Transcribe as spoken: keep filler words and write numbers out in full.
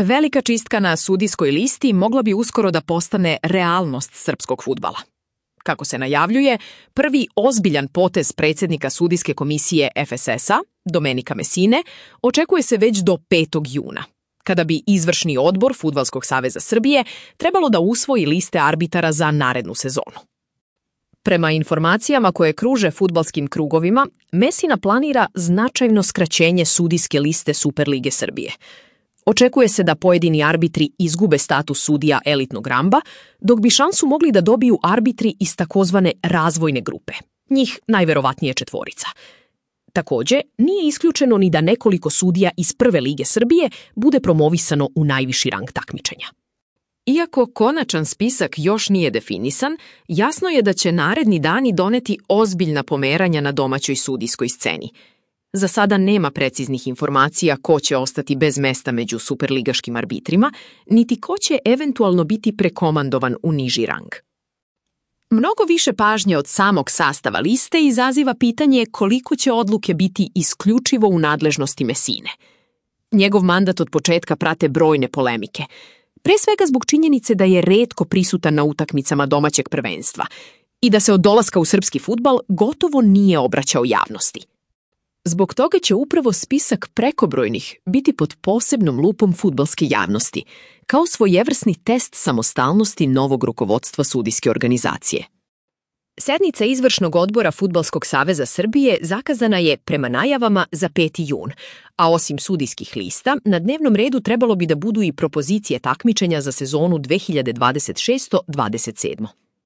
Velika čistka na sudijskoj listi mogla bi uskoro da postane realnost srpskog fudbala. Kako se najavljuje, prvi ozbiljan potez predsjednika sudijske komisije F S S-a, Domenika Mesine, očekuje se već do petog juna, kada bi izvršni odbor Fudbalskog saveza Srbije trebalo da usvoji liste arbitara za narednu sezonu. Prema informacijama koje kruže fudbalskim krugovima, Mesina planira značajno skraćenje sudijske liste Superlige Srbije. Očekuje se da pojedini arbitri izgube status sudija elitnog ramba, dok bi šansu mogli da dobiju arbitri iz takozvane razvojne grupe, njih najverovatnije četvorica. Takođe, nije isključeno ni da nekoliko sudija iz Prve lige Srbije bude promovisano u najviši rang takmičenja. Iako konačan spisak još nije definisan, jasno je da će naredni dani doneti ozbiljna pomeranja na domaćoj sudijskoj sceni. Za sada nema preciznih informacija ko će ostati bez mesta među superligaškim arbitrima, niti ko će eventualno biti prekomandovan u niži rang. Mnogo više pažnje od samog sastava liste izaziva pitanje koliko će odluke biti isključivo u nadležnosti Mesine. Njegov mandat od početka prate brojne polemike, pre svega zbog činjenice da je retko prisutan na utakmicama domaćeg prvenstva i da se od dolaska u srpski fudbal gotovo nije obraćao javnosti. Zbog toga će upravo spisak prekobrojnih biti pod posebnom lupom fudbalske javnosti, kao svojevrsni test samostalnosti novog rukovodstva sudijske organizacije. Sednica izvršnog odbora Fudbalskog saveza Srbije zakazana je prema najavama za peti jun, a osim sudijskih lista, na dnevnom redu trebalo bi da budu i propozicije takmičenja za sezonu dve hiljade dvadeset šeste dvadeset sedme.